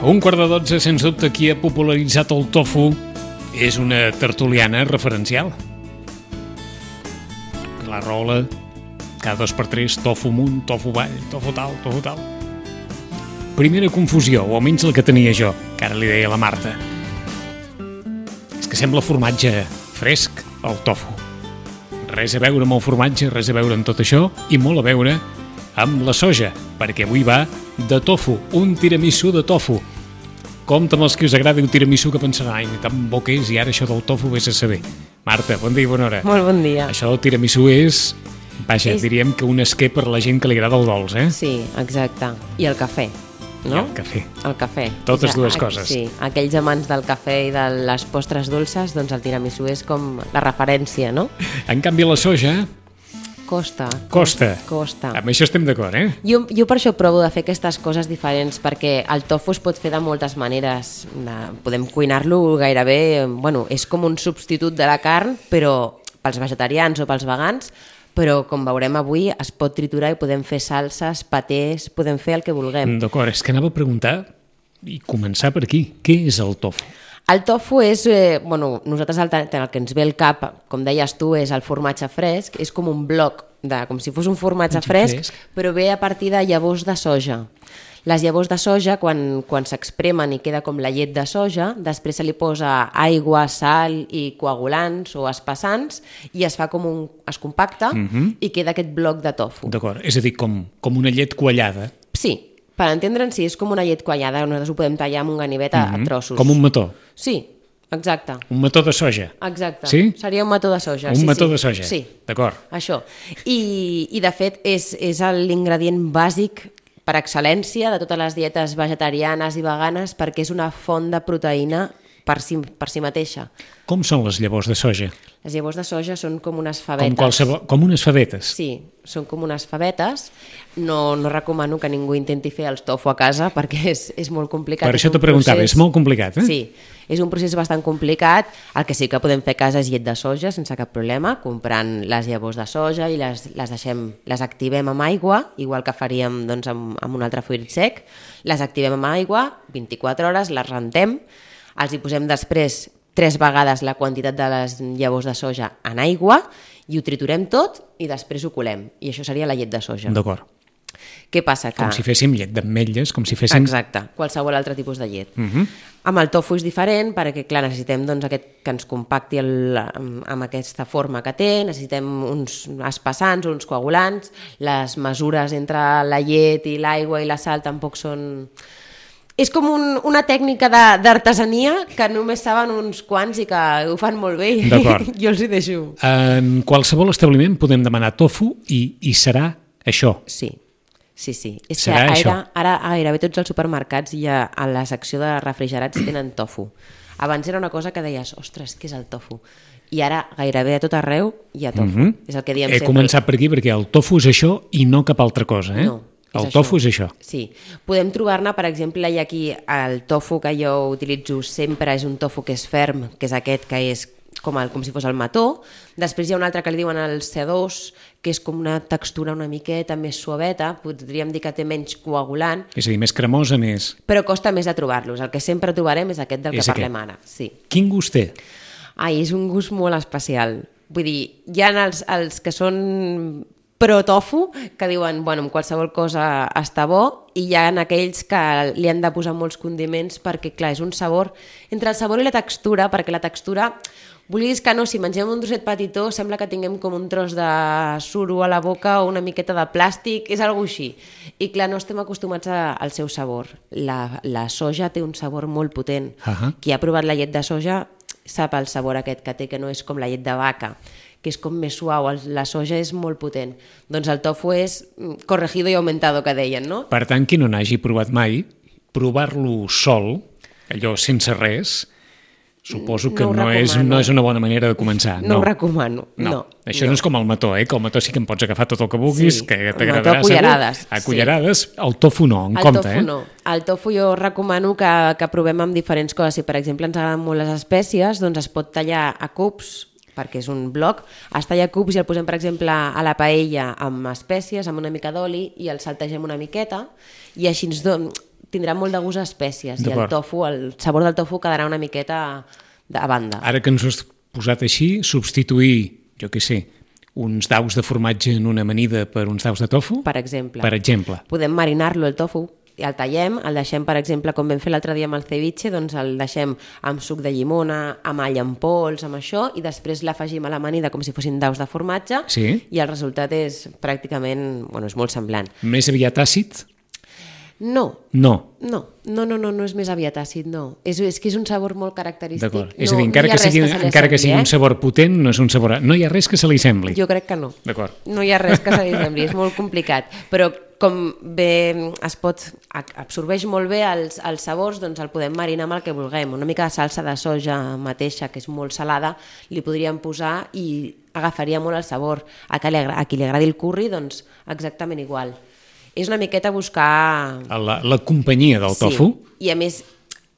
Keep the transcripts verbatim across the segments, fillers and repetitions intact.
Un quart de dotze, sens dubte, qui ha popularitzat el tofu és una tertuliana referencial. La Rola, cada dos per tres, tofu amunt, tofu avall, tofu tal, tofu tal. Primera confusió, o almenys la que tenia jo, que ara li deia a la Marta. És que sembla formatge fresc, el tofu. Res a veure amb el formatge, res a veure amb tot això, i molt a veure amb la soja, perquè avui va de tofu, un tiramisú de tofu. Compte amb els que us agradi un tiramisú que pensaran, ai, tan bo que és, i ara això del tofu vés a saber. Marta, bon dia i bona hora. Molt bon dia. Això del tiramisú és, vaja, És- diríem que un esquer per la gent que li agrada el dolç, eh? Sí, exacte. I el cafè, no? I el cafè. El cafè. Totes És a- dues a- coses. Sí, aquells amants del cafè i de les postres dolces, doncs el tiramisú és com la referència, no? En canvi, la soja Costa. costa. Costa. Amb això estem d'acord, eh? Jo, jo per això provo de fer aquestes coses diferents, perquè el tofu es pot fer de moltes maneres. De, podem cuinar-lo gairebé... Bueno, és com un substitut de la carn, però pels vegetarians o pels vegans, però com veurem avui es pot triturar i podem fer salses, patés, podem fer el que vulguem. D'acord, és que anava a preguntar i començar per aquí. Què és el tofu? El tofu és, eh, bueno, nosaltres el, el que ens ve al cap, com deies tu, és el formatge fresc, és com un bloc, de, com si fos un formatge Formatge fresc, fresc. però ve a partir de llavors de soja. Les llavors de soja, quan, quan s'expremen i queda com la llet de soja, després se li posa aigua, sal i coagulants o espessants i es fa com un... es compacta Mhm. i queda aquest bloc de tofu. D'acord, és a dir, com, com una llet quallada. Sí, per entendre'n, sí, és com una llet quallada, nosaltres ho podem tallar amb un ganivet a, a trossos. Com un mató. Sí, exacte. Un mató de soja. Exacte. Sí? Seria un mató de soja. Un sí, mató sí. de soja. Sí, D'acord. això. I, i de fet, és, és l'ingredient bàsic per excel·lència de totes les dietes vegetarianes i veganes perquè és una font de proteïna per si, per si mateixa. Com són les llavors de soja? Les llavors de soja són com unes Com, favetes. qualsevol, com unes favetes. Sí, són com unes favetes. No, no recomano que ningú intenti fer el tofu a casa perquè és, és molt complicat. Per És això un te preguntava, procés- és molt complicat, eh? Sí, és un procés bastant complicat. El que sí que podem fer a casa és llet de soja sense cap problema, comprant les llavors de soja i les, les, deixem, les activem amb aigua, igual que faríem doncs, amb, amb un altre fruit sec. Les activem amb aigua, vint-i-quatre hores, les rentem, els hi posem després tres vegades la quantitat de les llavors de soja en aigua i ho triturem tot i després ho colem. I això seria la llet de soja. D'acord. Què passa? Que... Com si féssim llet d'ametlles, com si féssim... Exacte, qualsevol altre tipus de llet. Uh -huh. Amb el tofu és diferent perquè, clar, necessitem doncs, aquest, que ens compacti el, amb, amb aquesta forma que té, necessitem uns espessants, uns coagulants, les mesures entre la llet i l'aigua i la sal tampoc són... És com un, una tècnica de- d'artesania que només saben uns quants i que ho fan molt bé. D'acord. Jo els hi deixo. En qualsevol establiment podem demanar tofu i, i serà això. Sí, sí, sí. És Serà que això. ara, ara gairebé tots els supermercats hi ha, a la secció de refrigerats tenen tofu. Abans era una cosa que deies, ostres, què és el tofu? I ara gairebé a tot arreu hi ha tofu. Mhm. És el que diem He sempre. començat per aquí perquè el tofu és això i no cap altra cosa, eh? No, és el això. tofu és això. Sí. Podem trobar-ne, per exemple, hi ha aquí el tofu que jo utilitzo sempre és un tofu que és ferm, que és aquest que és com, el, com si fos el mató. Després hi ha un altre que li diuen el C dos, que és com una textura una miqueta més suaveta, podríem dir que té menys coagulant, És a dir, més cremosa, més... però costa més de trobar-los. El que sempre trobarem és aquest del És que aquest. parlem ara. Sí. Quin gust té? Ai, és un gust molt especial. Vull dir, hi ha els, els que són pro-tofu, que diuen, bueno, amb qualsevol cosa està bo, i hi ha aquells que li han de posar molts condiments perquè, clar, és un sabor, entre el sabor i la textura, perquè la textura, vulguis que no, si mengem un trosset petitó, sembla que tinguem com un tros de suro a la boca o una miqueta de plàstic, és algo així. I clar, no estem acostumats a, al seu sabor. La, la soja té un sabor molt potent. Ahà. Qui ha provat la llet de soja sap el sabor aquest que té, que no és com la llet de vaca, que és com més suau, el- la soja és molt potent. Doncs el tofu és mm, corregido i aumentado, que deien, no? Per tant, qui no n'hagi provat mai, provar-lo sol, allò sense res, suposo que No no, ho és, recomano. no és una bona manera de començar. No, ho recomano. No. No. Això no. és com el mató, eh? que el mató sí que en pots agafar tot el que vulguis, Sí, que el t'agradarà mató a cullerades, segur. A sí. cullerades, el tofu no, en El compte. tofu eh? no. El tofu jo recomano que, que provem amb diferents coses. Si, per exemple, ens agraden molt les espècies, doncs es pot tallar a cubs, perquè és un bloc, es talla a cubs i el posem, per exemple, a la paella amb espècies, amb una mica d'oli, i el saltegem una miqueta, i així ens don... tindrà molt de gust a espècies i el D'acord. tofu, el sabor del tofu quedarà una miqueta a banda. Ara que ens ho has posat així, substituir, jo què sé, uns daus de formatge en una amanida per uns daus de tofu? Per exemple. Per exemple. Podem marinar-lo, el tofu, i el tallem, el deixem, per exemple, com vam fer l'altre dia amb el ceviche, doncs el deixem amb suc de llimona, amb all en pols, amb això, i després l'afegim a l'amanida com si fossin daus de formatge, Sí. i el resultat és pràcticament, bueno, és molt semblant. Més aviat àcid? No, No. no, no, no, no, no és més aviat àcid, no. És, és que és un sabor molt característic. D'acord. És no, a dir, encara, no hi ha que res sigui, se li encara que sigui assembli, un sabor potent, no és un sabor... No hi ha res que se li sembli. Jo crec que no. D'acord. No hi ha res que se li sembli, és molt complicat. Però com bé es pot, absorbeix molt bé els, els sabors, doncs el podem marinar amb el que vulguem. Una mica de salsa de soja mateixa, que és molt salada, li podríem posar i agafaria molt el sabor. A qui li, agra- a qui li agradi el curri, doncs exactament igual. És una miqueta buscar... La, la companyia del tofu? Sí, i a més,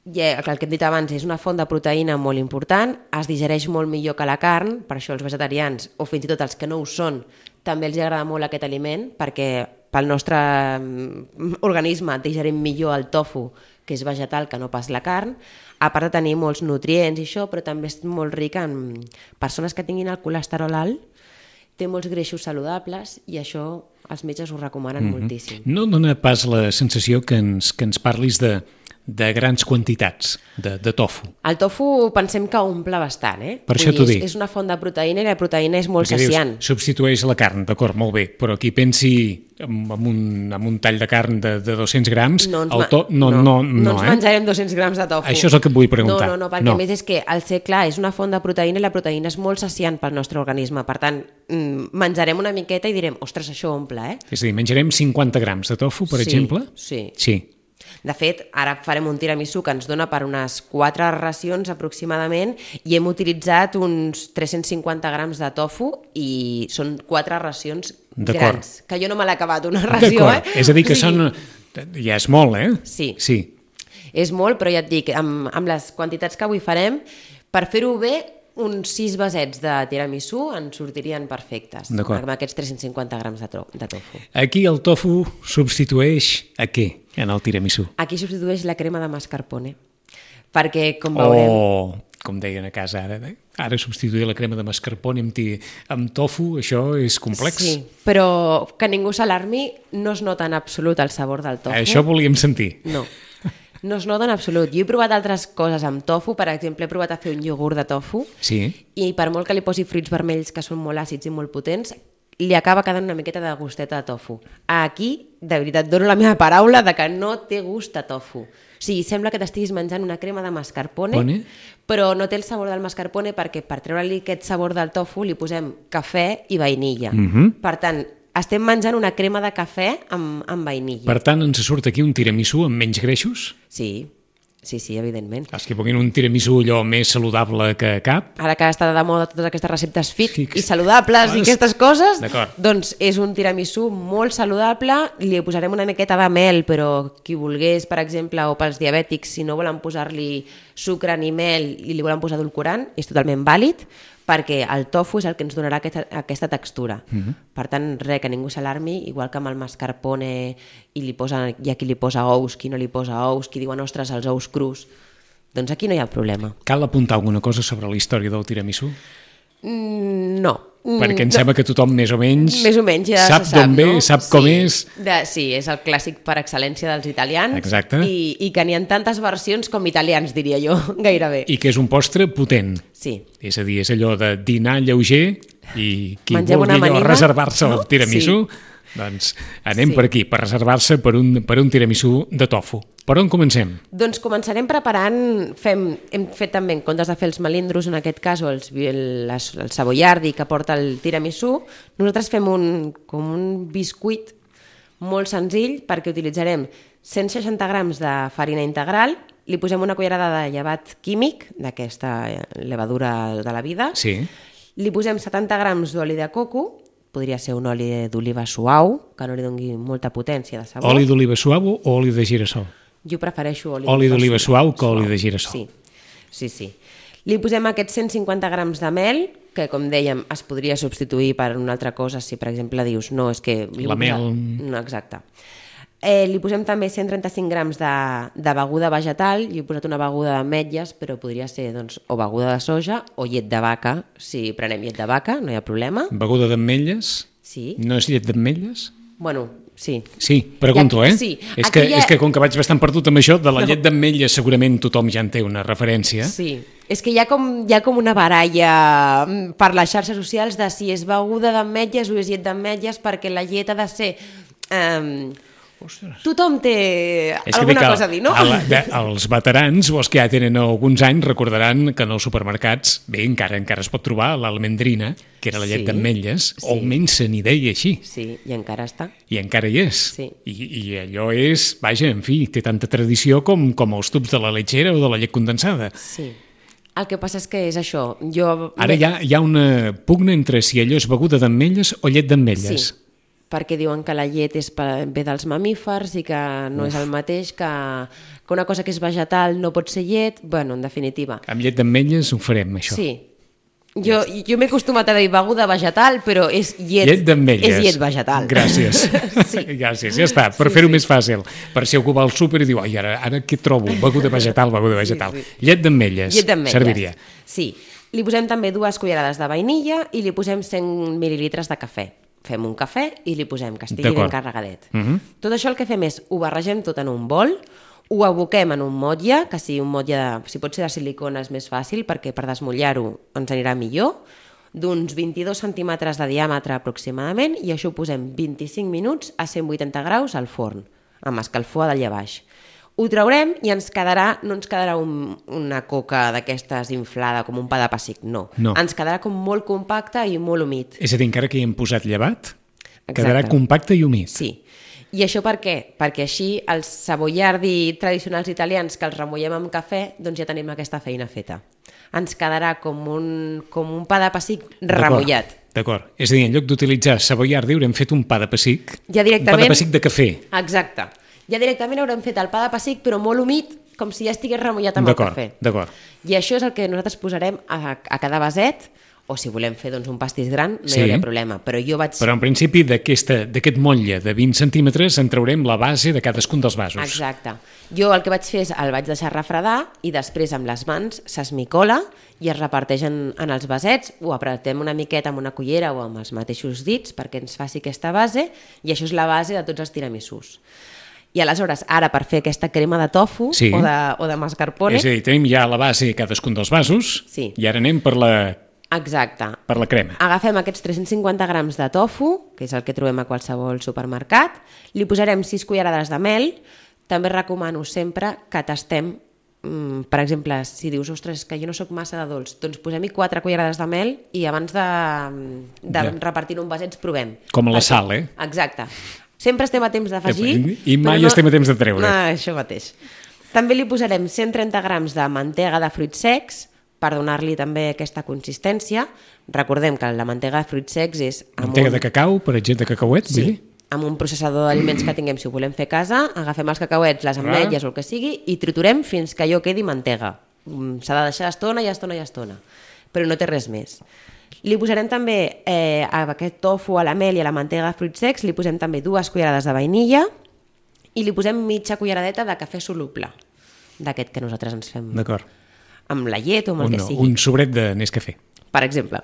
ja, el que hem dit abans, és una font de proteïna molt important, es digereix molt millor que la carn, per això els vegetarians, o fins i tot els que no ho són, també els agrada molt aquest aliment, perquè pel nostre mm, organisme digerim millor el tofu, que és vegetal, que no pas la carn, a part de tenir molts nutrients i això, però també és molt ric en persones que tinguin el colesterol alt, té molts greixos saludables i això els metges ho recomanen mm-hmm. moltíssim. No dona pas la sensació que ens, que ens parlis de, de grans quantitats de, de tofu. El tofu pensem que omple bastant, eh? Per Vull això dir, t'ho és, dic. És una font de proteïna i la proteïna és molt Perquè saciant. dius, substitueix la carn, d'acord, molt bé, però qui pensi amb, amb, un, amb un tall de carn de, de dos-cents grams, No ens, el ma- to... no, no, no, no ens eh? menjarem dos-cents grams de tofu. Això és el que et vull preguntar. No, no, no, perquè No. a més és que el ser clar és una font de proteïna i la proteïna és molt saciant pel nostre organisme. Per tant, mm, menjarem una miqueta i direm, ostres, això omple, eh? És a dir, menjarem cinquanta grams de tofu, per Sí, exemple? sí. Sí. De fet, ara farem un tiramisú que ens dona per unes quatre racions aproximadament i hem utilitzat uns tres-cents cinquanta grams de tofu i són quatre racions D'acord. grans. Que jo no me l'he acabat una ració, eh? D'acord, és a dir que O sigui, són... Ja és molt, eh? Sí. Sí. És molt, però ja et dic, amb, amb les quantitats que avui farem, per fer-ho bé, uns sis vasets de tiramisú ens sortirien perfectes, D'acord. amb aquests tres-cents cinquanta grams de, to de tofu. Aquí el tofu substitueix a què en el tiramisú? Aquí substitueix la crema de mascarpone, perquè, com veurem... O, com deien a casa ara, eh? Ara substituir la crema de mascarpone amb, ti, amb tofu, això és complex. Sí, però que ningú s'alarmi, no es nota en absolut el sabor del tofu. Això volíem sentir. No, no es nota en absolut. Jo he provat altres coses amb tofu, per exemple, he provat a fer un iogurt de tofu, Sí. i per molt que li posi fruits vermells que són molt àcids i molt potents, li acaba quedant una miqueta de gusteta de tofu. Aquí, de veritat, dono la meva paraula de que no té gust a tofu. O sigui, sembla que t'estiguis menjant una crema de mascarpone, Pone? però no té el sabor del mascarpone perquè per treure-li aquest sabor del tofu li posem cafè i vainilla. Mhm. Per tant, estem menjant una crema de cafè amb, amb vainilla. Per tant, ens surt aquí un tiramisú amb menys greixos? Sí, sí, sí, evidentment. Els que puguin un tiramisú allò més saludable que cap? Ara que està de moda totes aquestes receptes fit Fix. i saludables Ah, i aquestes coses, d'acord. doncs és un tiramisú molt saludable, li posarem una miqueta de mel, però qui volgués, per exemple, o pels diabètics, si no volen posar-li sucre ni mel i li volen posar edulcorant, és totalment vàlid, perquè el tofu és el que ens donarà aquesta, aquesta textura. Mm-hmm. Per tant, res, que ningú s'alarmi, igual que amb el mascarpone i li posa, hi ha qui li posa ous, qui no li posa ous, qui diuen, ostres, els ous crus. Doncs aquí no hi ha problema. Cal apuntar alguna cosa sobre la història del tiramisú? Mm, no. Mm, Perquè em no. sembla que tothom més o menys, Més o menys ja sap se sap, d'on ve, no? sap com sí, és. De, sí, és el clàssic per excel·lència dels italians. Exacte. I, i que n'hi ha tantes versions com italians, diria jo, gairebé. I que és un postre potent. Sí. És a dir, és allò de dinar lleuger i qui Mengem vulgui una allò amanida, reservar-se no? el tiramisú, doncs anem Sí. per aquí, per reservar-se per un, per un tiramisú de tofu. Per on comencem? Doncs començarem preparant, fem, hem fet també, en comptes de fer els melindros, en aquest cas, o els, el, el savoiardi que porta el tiramisú, nosaltres fem un, com un biscuit molt senzill perquè utilitzarem cent seixanta grams de farina integral, li posem una cullerada de llevat químic, d'aquesta levadura de la vida, Sí. li posem setanta grams d'oli de coco, podria ser un oli d'oliva suau, que no li doni molta potència de sabor. Oli d'oliva suau o oli de girassol? Jo prefereixo oli, Oli d'oliva suau que oli de girassol. Sí, sí, sí. Li posem aquests cent cinquanta grams de mel, que com dèiem es podria substituir per una altra cosa si per exemple dius no, és que... li La vull posar-" mel. No, exacte. Eh, li posem també cent trenta-cinc grams de, de beguda vegetal. Jo he posat una beguda d'ametlles, però podria ser doncs, o beguda de soja o llet de vaca. Si prenem llet de vaca, no hi ha problema. Beguda d'ametlles? Sí. No és llet d'ametlles? Bueno, sí. Sí, pregunto, aquí, eh? Sí. És, que, ha... és que com que vaig bastant perdut amb això, de la no. llet d'ametlles segurament tothom ja en té una referència. Sí. És que hi ha, com, hi ha com una baralla per les xarxes socials de si és beguda d'ametlles o és llet d'ametlles, perquè la llet ha de ser... Eh, Ostres. Tothom té és alguna que cosa a dir, no? La, de, els veterans o els que ja tenen alguns anys recordaran que en els supermercats, bé, encara encara es pot trobar l'almendrina, que era la llet sí, d'ametlles, sí. o almenys se n'hi deia així. Sí, i encara està. I encara hi és. Sí. I, I allò és, vaja, en fi, té tanta tradició com, com els tubs de la lechera o de la llet condensada. Sí. El que passa és que és això. Jo... Ara hi ha, hi ha una pugna entre si allò és beguda d'ametlles o llet d'ametlles. Sí. Perquè diuen que la llet és ve dels mamífers i que no Uf. és el mateix, que, que una cosa que és vegetal no pot ser llet, bueno, en definitiva. Amb llet d'ametlles ho farem, això. Sí. Jo, jo m'he acostumat a dir beguda vegetal, però és llet, llet d'ametlles. És llet vegetal. Gràcies. Sí. Gràcies, ja està, per sí, fer-ho sí. més fàcil. Per si algú va al súper i diu, ai, ara, ara què trobo? Beguda vegetal, beguda vegetal. Sí, sí. Llet d'ametlles. Llet d'ametlles. Serviria. Sí. Li posem també dues cullerades de vainilla i li posem cent mil·lilitres de cafè. Fem un cafè i li posem que estigui ben carregadet. Uh -huh. Tot això el que fem és, ho barregem tot en un bol, ho aboquem en un motlle, que sigui un motlle, de, si pot ser de silicona és més fàcil, perquè per desmullar-ho ens anirà millor, d'uns vint-i-dos centímetres de diàmetre aproximadament, i això ho posem vint-i-cinc minuts a cent vuitanta graus al forn, amb escalfor a dalt i a baix. Ho traurem i ens quedarà, no ens quedarà un, una coca d'aquestes inflada com un pa de pessic, no. no. Ens quedarà com molt compacte i molt humit. És a dir, encara que hi hem posat llevat, Exacte. quedarà compacte i humit. Sí. I això per què? Perquè així els savoiardi tradicionals italians que els remullem amb cafè, doncs ja tenim aquesta feina feta. Ens quedarà com un, com un pa de pessic remullat. D'acord. És a dir, en lloc d'utilitzar savoiardi haurem fet un pa de pessic, ja directament... un pa de pessic de cafè. Exacte. Ja directament haurem fet el pa de pessic, però molt humit, com si ja estigués remullat amb el cafè. D'acord. I això és el que nosaltres posarem a, a cada vaset, o si volem fer doncs, un pastís gran, no sí. hi hauria problema. Però jo vaig... Però en principi d'aquest motlle de vint centímetres en traurem la base de cadascun dels vasos. Exacte. Jo el que vaig fer és el vaig deixar refredar i després amb les mans s'esmicola i es reparteix en, en els vasets, ho apretem una miqueta amb una cullera o amb els mateixos dits perquè ens faci aquesta base, i això és la base de tots els tiramisús. I aleshores, ara per fer aquesta crema de tofu sí. o, de, o de mascarpone... És a dir, tenim ja la base cadascun dels vasos sí. i ara anem per la... Exacte. Per la crema. Agafem aquests tres-cents cinquanta grams de tofu, que és el que trobem a qualsevol supermercat, li posarem sis cullerades de mel. També recomano sempre que tastem, mmm, per exemple, si dius, ostres, que jo no sóc massa de dolç, doncs posem-hi quatre cullerades de mel i abans de, de ja. repartir-ho en vasets provem. Com a la sal, eh? Exacte. Sempre estem a temps d'afegir... I mai no... estem a temps de treure. No, això mateix. També li posarem cent trenta grams de mantega de fruits secs, per donar-li també aquesta consistència. Recordem que la mantega de fruits secs és... Mantega un... de cacau, per exemple, de cacauet? Sí, dir? Amb un processador d'aliments que tinguem, si ho volem fer a casa, agafem els cacauets, les ametlles o el que sigui, i triturem fins que allò quedi mantega. S'ha de deixar estona i estona i estona, però no té res més. Li posarem també eh, a aquest tofu, a la mel i a la mantega de fruits secs, li posem també dues cullerades de vainilla i li posem mitja culleradeta de cafè soluble, d'aquest que nosaltres ens fem. D'acord. Amb la llet o amb el un, que sigui. Un sobret de Nescafé. Per exemple.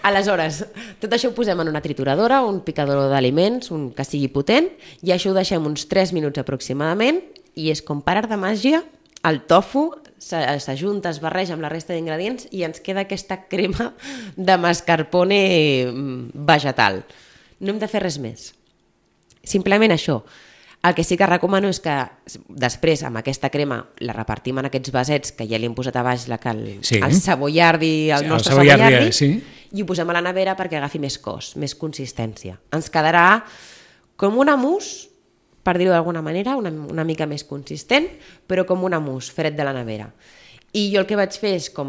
Aleshores, tot això ho posem en una trituradora, un picador d'aliments, un que sigui potent, i això ho deixem uns tres minuts aproximadament, i és com per art de màgia, el tofu s'ajunta, es barreja amb la resta d'ingredients i ens queda aquesta crema de mascarpone vegetal. No hem de fer res més. Simplement això. El que sí que recomano és que després amb aquesta crema la repartim en aquests vasets que ja li hem posat a baix la, el, sí. el savoiardi, el sí, nostre el savoiardi, savoiardi sí. i ho posem a la nevera perquè agafi més cos, més consistència. Ens quedarà com una mousse, per dir-ho d'alguna manera, una, una mica més consistent, però com una mousse, fred de la nevera. I jo el que vaig fer és, com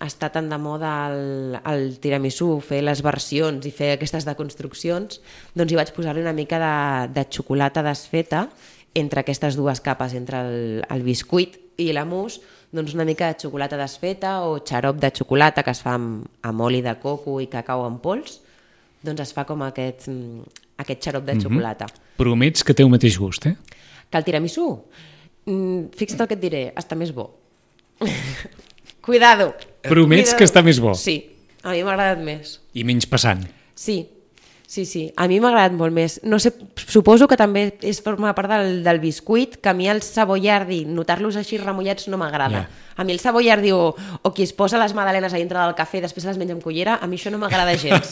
està tan de moda el, el tiramisú, fer les versions i fer aquestes deconstruccions, doncs hi vaig posar-li una mica de, de xocolata desfeta entre aquestes dues capes, entre el, el biscuit i la mousse, doncs una mica de xocolata desfeta o xarop de xocolata que es fa amb, amb oli de coco i cacau en pols, doncs es fa com aquest, aquest xarop de xocolata. Mm-hmm. Promets que té el mateix gust, eh? Que el tiramisú, mm, fixa't el que et diré, està més bo. Cuidado. Promets Cuidado. que està més bo. Sí, a mi m'ha agradat més. I menys passant. Sí, sí, sí. A mi m'ha agradat molt més. No sé, suposo que també és forma part del, del biscuit, que a mi el saboiardi, notar-los així remullats no m'agrada. Ja. A mi el saboiardi o, o qui es posa les magdalenes a dintre del cafè i després les menja amb cullera, a mi això no m'agrada gens.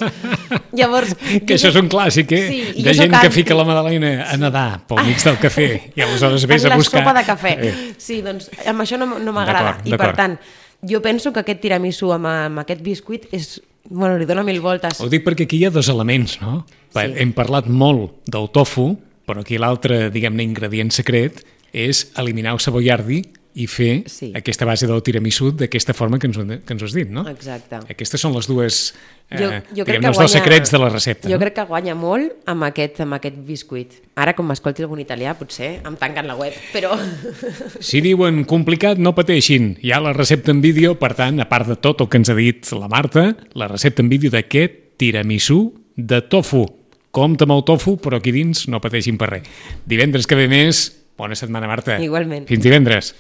Llavors... Que això és un clàssic, eh? Sí, i de jo gent soc que anti. fica la magdalena a nedar pel mig del cafè i aleshores vés en a la buscar... sopa de cafè. Eh. Sí, doncs amb això no, no m'agrada. D'acord, I per d'acord. tant, jo penso que aquest tiramisú amb, amb aquest biscuit és... Bueno, li dona mil voltes. Ho dic perquè aquí hi ha dos elements, no? Sí. Hem parlat molt del tofu, però aquí l'altre, diguem-ne, ingredient secret és eliminar el saboiardi i fer Sí. aquesta base del tiramisú d'aquesta forma que ens, ho- que ens ho has dit, no? Exacte. Aquestes són les dues, eh, Jo, jo crec diguem-ne, que els dos guanya- secrets de la recepta. Jo no? crec que guanya molt amb aquest, amb aquest biscuit. Ara, com m'escolti algun italià, potser em tanquen la web, però... Si diuen complicat, no pateixin. Hi ha la recepta en vídeo, per tant, a part de tot el que ens ha dit la Marta, la recepta en vídeo d'aquest tiramisú de tofu. Compte amb el tofu, però aquí dins no pateixin per res. Divendres que ve més, bona setmana, Marta. Igualment. Fins divendres.